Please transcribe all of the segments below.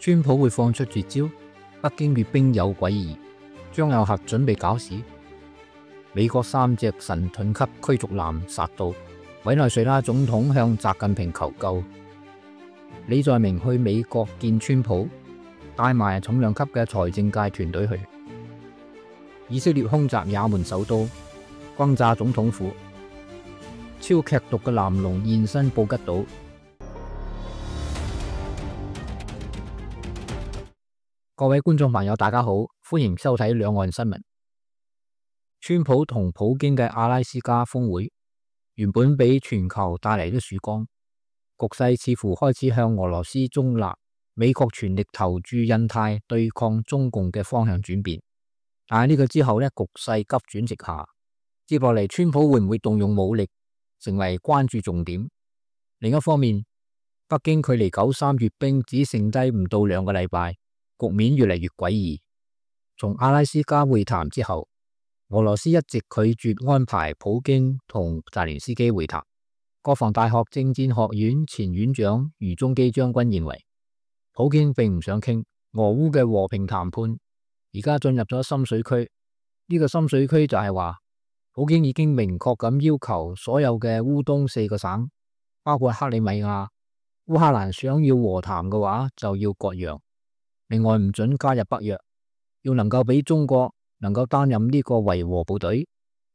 川普會放出絕招，北京閱兵有詭異，將有核準備搞事。美國3隻神盾級驅逐艦殺到，委內瑞拉總統向習近平求救。李在明去美國見川普，帶埋重量級嘅財政界團隊去。以色列空襲也門首都，轟炸總統府。超劇毒嘅藍龍現身布吉島。各位觀眾朋友大家好，歡迎收睇兩岸新聞。川普同普京嘅阿拉斯加峰會原本俾全球帶嚟咗曙光，局勢似乎開始向俄羅斯中立、美國全力投注印太對抗中共嘅方向轉變。但係呢個之後呢，局勢急轉直下。接落嚟，川普會唔會動用武力，成為關注重點。另一方面，北京距離93閱兵只剩低唔到2個禮拜，局面越嚟越詭異。從阿拉斯加會談之後，俄羅斯一直拒絕安排普京同澤連斯基會談。國防大學政戰學院前院長余中基將軍認為，普京並唔想傾俄烏嘅和平談判，而家進入咗深水區。呢個深水區就係話，普京已經明確咁要求所有嘅烏東4個省，包括克里米亞、烏克蘭想要和談嘅話就要割讓。另外唔准加入北約，要能夠俾中國能夠擔任呢個維和部隊。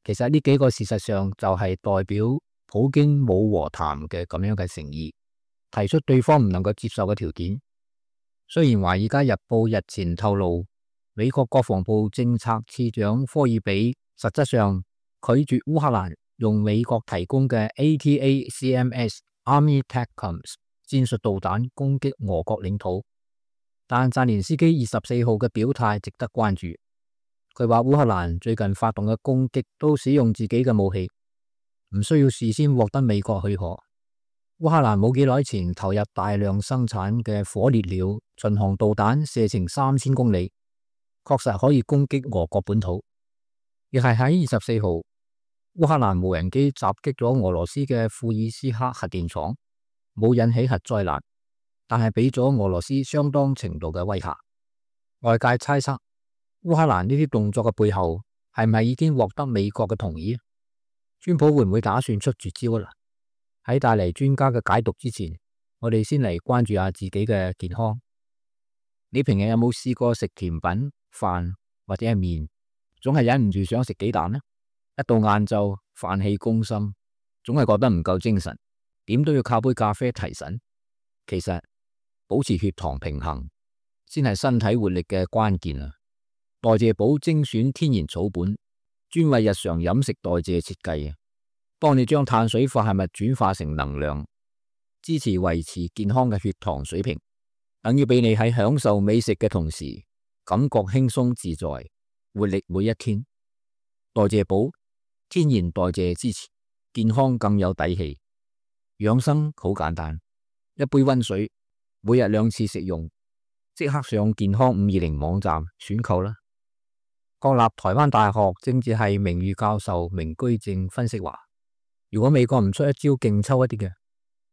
其實呢幾個事實上就係代表普京冇和談嘅咁樣嘅誠意，提出對方唔能夠接受嘅條件。雖然華爾街日報日前透露，美國國防部政策次長科爾比實質上拒絕烏克蘭用美國提供嘅 ATACMS Army TACMS 戰術導彈攻擊俄國領土。但澤連斯基24號嘅表態值得關注。佢話烏克蘭最近發動嘅攻擊都使用自己嘅武器，唔需要事先獲得美國許可。烏克蘭冇幾耐前投入大量生產嘅火烈鳥巡航導彈，射程3000公里，確實可以攻擊俄國本土。亦係喺24號，烏克蘭無人機襲擊咗俄羅斯嘅庫爾斯克核電廠，冇引起核災難，但係俾咗俄羅斯相當程度嘅威嚇。外界猜測烏克蘭呢啲動作嘅背後係咪已經獲得美國嘅同意？川普會唔會打算出絕招啦？喺帶嚟專家嘅解讀之前，我哋先嚟關注下自己嘅健康。你平日有冇試過食甜品、飯或者係麵，總係忍唔住想食雞蛋呢？一到晏晝飯氣攻心，總係覺得唔夠精神，點都要靠杯咖啡提神。其實保持血糖平衡先係身體活力嘅關鍵啊！代謝寶精選天然草本，專為日常飲食代謝設計，幫你將碳水化合物轉化成能量，支持維持健康嘅血糖水平，等於俾你喺享受美食嘅同時，感覺輕鬆自在，活力每一天。代謝寶天然代謝支持，健康更有底氣。養生好簡單，一杯溫水，每日2次食用，即刻上健康520網站選購啦。國立台灣大學政治系名譽教授明居正分析話，如果美國唔出一招勁抽一啲嘅，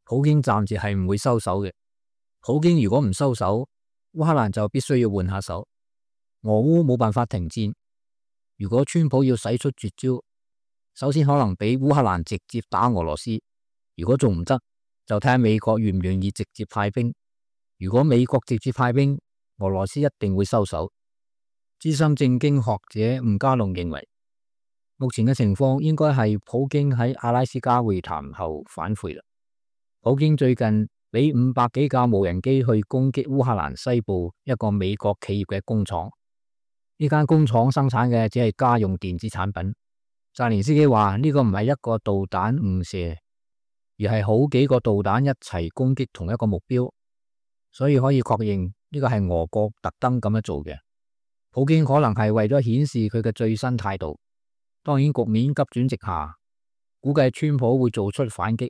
普京暫時係唔會收手嘅。普京如果唔收手，烏克蘭就必須要換下手。俄烏冇辦法停戰，如果川普要使出絕招，首先可能俾烏克蘭直接打俄羅斯，如果仲唔得，就睇下美國願唔願意直接派兵。如果美國直接派兵，俄羅斯一定會收手。資深政經學者吳家龍認為，目前嘅情況應該係普京喺阿拉斯加會談後反悔啦。普京最近俾500幾架無人機去攻擊烏克蘭西部一個美國企業嘅工廠，呢間工廠生產嘅只係家用電子產品。澤連斯基話呢個唔係一個導彈誤射，而係好幾個導彈一齊攻擊同一個目標，所以可以確認呢個係俄國特登咁樣做嘅。普京可能係為咗顯示佢嘅最新態度。當然局面急轉直下，估計川普會做出反擊，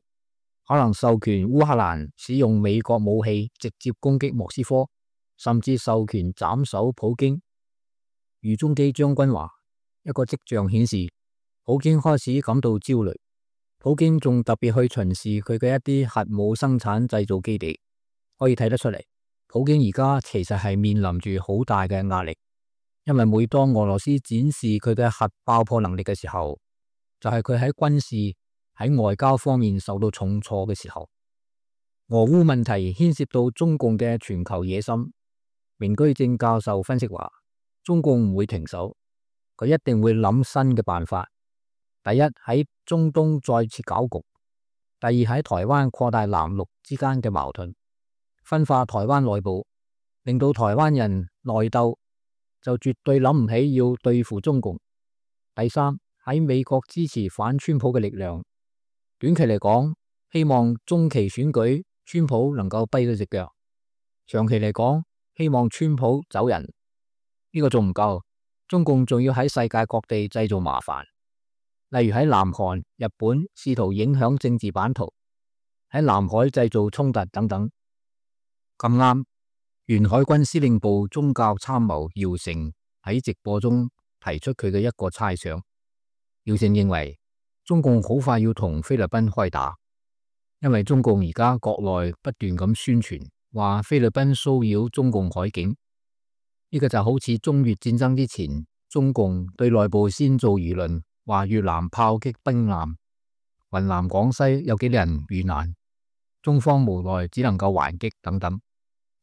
可能授權烏克蘭使用美國武器直接攻擊莫斯科，甚至授權斬首普京。余中基將軍話，一個跡象顯示普京開始感到焦慮。普京仲特別去巡視佢嘅一啲核武生產製造基地，可以睇得出嚟，普京而家其實係面臨住好大嘅壓力，因為每當俄羅斯展示佢嘅核爆破能力嘅時候，就係佢喺軍事、喺外交方面受到重挫嘅時候。俄烏問題牽涉到中共嘅全球野心。明居正教授分析話，中共唔會停手，佢一定會諗新嘅辦法。第一，喺中東再次搞局；第二，喺台灣擴大藍綠之間嘅矛盾，分化台灣內部，令到台灣人內鬥，就絕對諗唔起要對付中共。第三，喺美國支持反川普嘅力量，短期嚟講，希望中期選舉川普能夠跛咗隻腳；長期嚟講，希望川普走人。呢個仲唔夠，中共仲要喺世界各地製造麻煩。例如喺南韓、日本試圖影響政治版圖，喺南海製造衝突等等。咁啱，原海軍司令部宗教參謀姚成喺直播中提出佢嘅一個猜想。姚成認為中共好快要同菲律賓開打，因為中共而家國內不斷咁宣傳話菲律賓騷擾中共海境，呢個就好似中越戰爭之前，中共對內部先做輿論。話越南炮擊兵艦，雲南廣西有幾多人遇難，中方無奈只能夠還擊等等。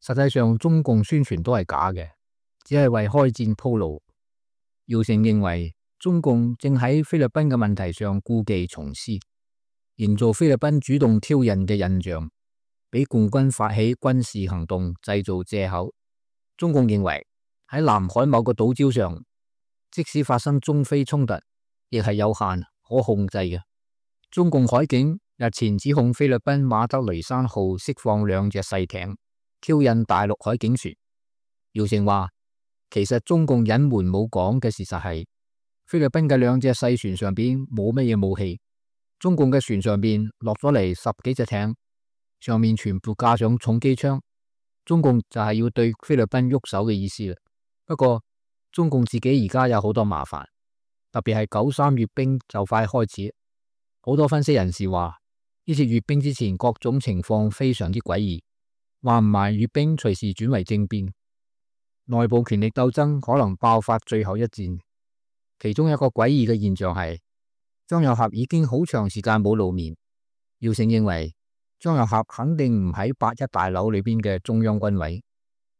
實際上中共宣傳都係假嘅，只係為開戰鋪路。姚成認為中共正喺菲律賓嘅問題上故技重施，營造菲律賓主動挑釁嘅印象，俾共軍發起軍事行動製造借口。中共認為喺南海某個島礁上，即使發生中菲衝突，亦係有限可控制嘅。中共海警日前指控菲律賓馬德雷山號釋放2隻細艇，挑釁大陸海警船。姚成話，其實中共隱瞞冇講嘅事實係，菲律賓嘅2隻細船上邊冇乜嘢武器，中共嘅船上邊落咗嚟10幾隻艇，上面全部架上重機槍，中共就係要對菲律賓喐手嘅意思啦。不過中共自己而家有好多麻煩。特別係93閱兵就快開始，好多分析人士話呢次閱兵之前各種情況非常之詭異，話唔埋閱兵隨時轉為政變，內部權力鬥爭可能爆發最後一戰。其中一個詭異嘅現象係張又俠已經好長時間冇露面。姚成認為張又俠肯定唔喺8·1大樓裏邊嘅中央軍委，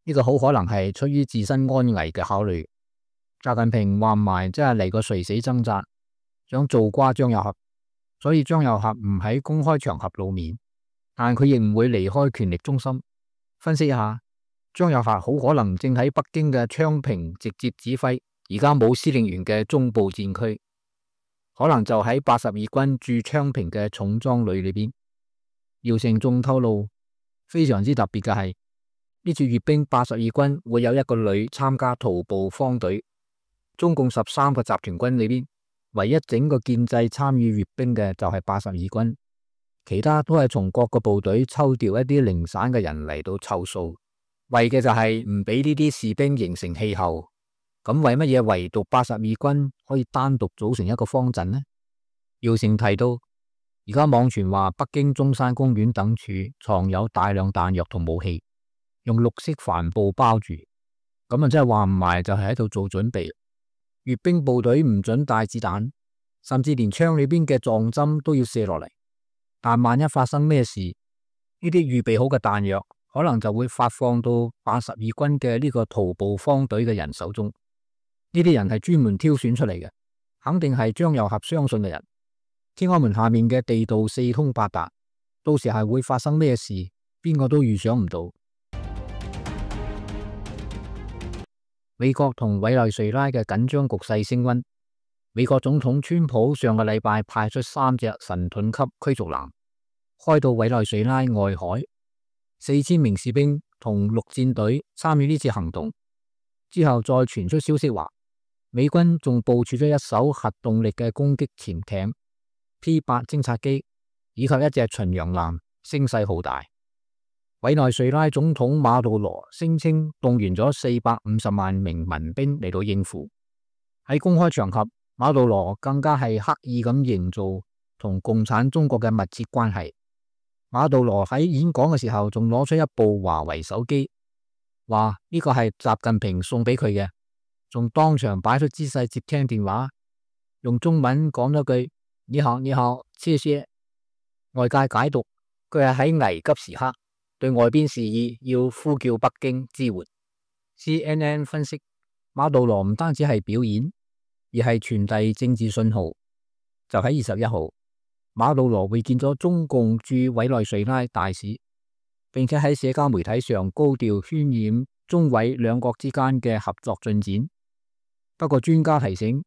呢個好可能係出於自身安危嘅考慮。習近平話唔埋真係嚟個垂死掙扎，想做瓜張又俠，所以張又俠唔喺公開場合露面，但佢亦唔會離開權力中心。分析一下，張又俠好可能正喺北京嘅昌平直接指揮而家冇司令員嘅中部戰區，可能就喺82軍駐昌平嘅重裝旅裏邊。姚成仲透露，非常之特別嘅係呢次閱兵82軍會有一個旅參加徒步方隊。中共13個集團軍裏邊，唯一整個建制參與閱兵嘅就係82軍，其他都係從各個部隊抽調一啲零散嘅人嚟到湊數，為嘅就係唔俾呢啲士兵形成氣候。咁為乜嘢唯獨82軍可以單獨組成一個方陣呢？姚成提到，而家網傳話北京中山公園等處藏有大量彈藥同武器，用綠色帆布包住，咁啊真係話唔埋就係喺度做準備。閱兵部隊唔准帶子彈，甚至連槍裏邊嘅撞針都要卸落嚟。但萬一發生咩事，呢啲預備好嘅彈藥可能就會發放到82軍嘅呢個徒步方隊嘅人手中。呢啲人係專門挑選出嚟嘅，肯定係張又俠相信嘅人。天安門下面嘅地道四通八達，到時係會發生咩事，邊個都預想唔到。美國同委內瑞拉嘅緊張局勢升溫。美國總統川普上個禮拜派出3隻神盾級驅逐艦開到委內瑞拉外海，4000名士兵同陸戰隊參與呢次行動。之後再傳出消息話，美軍仲部署咗一艘核動力嘅攻擊潛艇、P8 偵察機以及一隻巡洋艦，聲勢浩大。委內瑞拉總統馬杜羅聲稱動員咗450萬名民兵嚟到應付。喺公開場合，馬杜羅更加係刻意咁營造同共產中國嘅密切關係。馬杜羅喺演講嘅時候仲攞出一部華為手機，話呢個係習近平送俾佢嘅，仲當場擺出姿勢接聽電話，用中文講咗句你好你好，謝謝。外界解讀佢係喺危急時刻對外邊示意要呼叫北京支援。CNN 分析，馬杜羅唔單止係表演，而係傳遞政治信號。就喺21號，馬杜羅會見咗中共駐委內瑞拉大使，並且喺社交媒體上高調渲染中委兩國之間嘅合作進展。不過專家提醒，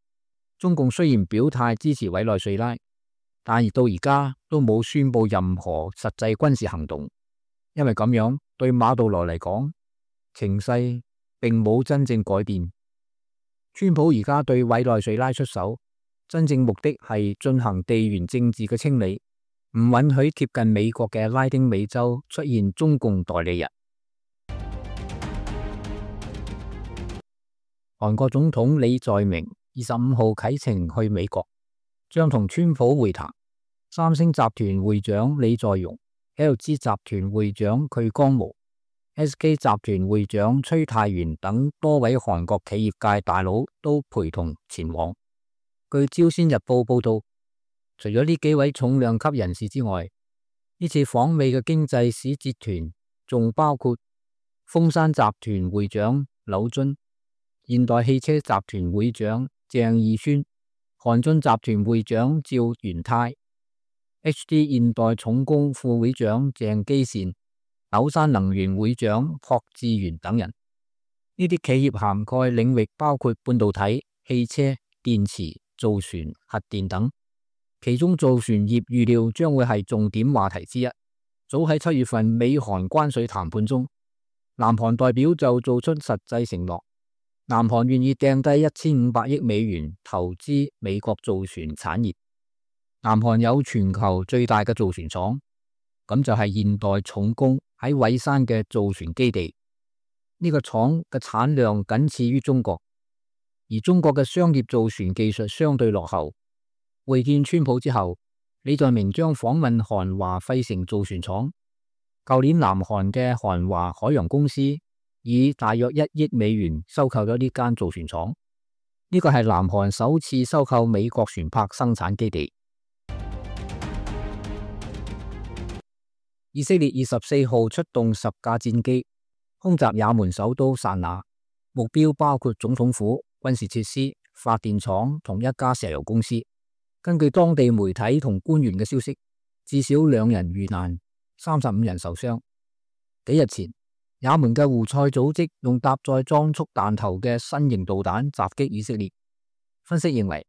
中共雖然表態支持委內瑞拉，但到而家都冇宣布任何實際軍事行動，因為咁樣對馬杜羅嚟講，情勢並冇真正改變。川普而家對委內瑞拉出手，真正目的係進行地緣政治嘅清理，唔允許貼近美國嘅拉丁美洲出現中共代理人。韓國總統李在明25號啟程去美國，將同川普會談。三星集團會長李在鎔、LG 集團會長渠江無、SK 集團會長崔泰元等多位韓國企業界大佬都陪同前往。據朝鮮日報報道，除咗呢幾位重量級人士之外，呢次訪美嘅經濟使節團仲包括豐山集團會長柳津、現代汽車集團會長鄭義宣、韓進集團會長趙元泰、HD 現代重工副會長鄭基善、柳山能源會長朴志源等人。呢啲企業涵蓋領域包括半導體、汽車、電池、造船、核電等，其中造船業預料將會係重點話題之一。早喺7月份美韓關稅談判中，南韓代表就做出實際承諾，南韓願意掟低1500億美元投資美國造船產業。南韓有全球最大嘅造船廠，咁就係現代重工喺蔚山嘅造船基地。呢個廠嘅產量僅次於中國，而中國嘅商業造船技術相對落後。會見川普之後，李在明將訪問韓華費城造船廠。舊年南韓嘅韓華海洋公司以大約1億美元收購咗呢間造船廠，呢個係南韓首次收購美國船舶生產基地。以色列24號出動10架戰機空襲也門首都薩那，目標包括總統府、軍事設施、發電廠同一家石油公司。根據當地媒體同官員嘅消息，至少2人遇難，35人受傷。幾日前，也門嘅胡塞組織用搭載裝束彈頭嘅新型導彈襲擊以色列。分析認為，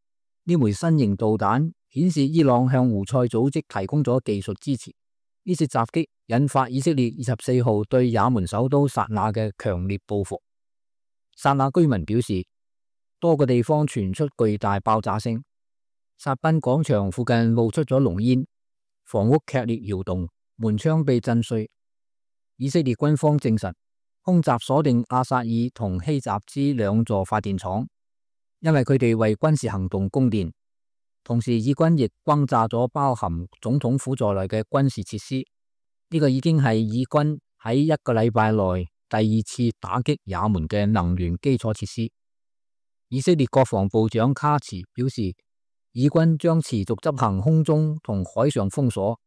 呢枚新型導彈顯示伊朗向胡塞組織提供咗技術支持。呢次襲擊引發以色列24號對也門首都薩那嘅強烈報復。薩那居民表示，多個地方傳出巨大爆炸聲。薩賓廣場附近冒出咗濃煙，房屋劇烈搖動，門窗被震碎。以色列軍方證實，空襲鎖定阿薩爾同希集茲2座發電廠，因為佢哋為軍事行動供電。同時，以軍亦轟炸咗包含總統府在內嘅軍事設施。呢個已經係以軍喺1個禮拜內第2次打擊也門嘅能源基礎設施。以色列國防部長卡茨表示，以軍將持續執行空中同海上封鎖，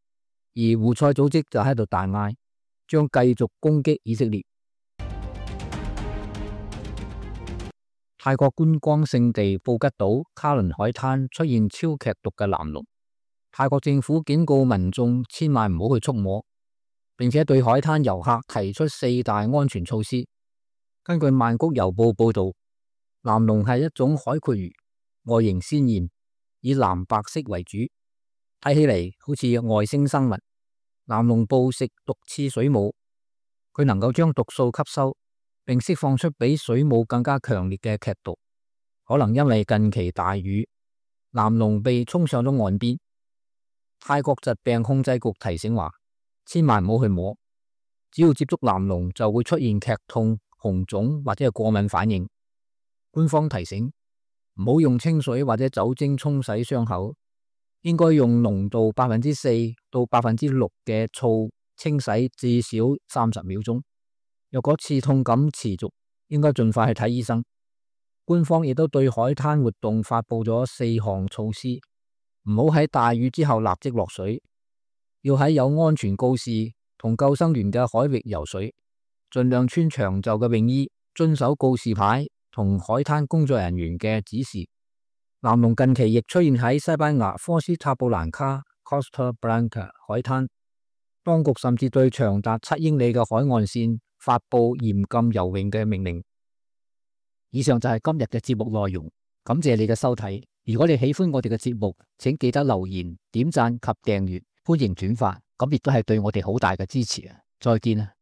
而胡塞組織就喺度大嗌，將繼續攻擊以色列。泰國觀光勝地布吉島卡倫海灘出現超劇毒嘅藍龍，泰國政府警告民眾千萬唔好去觸摸，並且對海灘遊客提出4大安全措施。根據曼谷郵報報道，藍龍係一種海蛞蝓，外形鮮豔，以藍白色為主，睇起嚟好似外星生物。藍龍捕食毒刺水母，佢能夠將毒素吸收，並釋放出比水母更加強烈嘅劇毒。可能因為近期大雨，藍龍被沖上咗岸邊。泰國疾病控制局提醒話，千萬唔好去摸，只要接觸藍龍就會出現劇痛、紅腫或者係過敏反應。官方提醒，唔好用清水或者酒精沖洗傷口，應該用濃度4%到6%嘅醋清洗至少30秒鐘。若果刺痛感持續，應該盡快去睇醫生。官方亦都對海灘活動發佈咗4項措施，唔好喺大雨之後立即落水，要喺有安全告示同救生員嘅海域游水，盡量穿長袖嘅泳衣，遵守告示牌同海灘工作人員嘅指示。南龍近期亦出現喺西班牙科斯塔布蘭卡 Costa Blanca 海灘，當局甚至對長達7英里嘅海岸線發佈嚴禁游泳嘅命令。以上就係今日嘅節目內容，感謝你嘅收睇。如果你喜歡我哋嘅節目，請記得留言、點讚及訂閱，歡迎轉發，咁亦都係對我哋好大嘅支持啊！再見啊！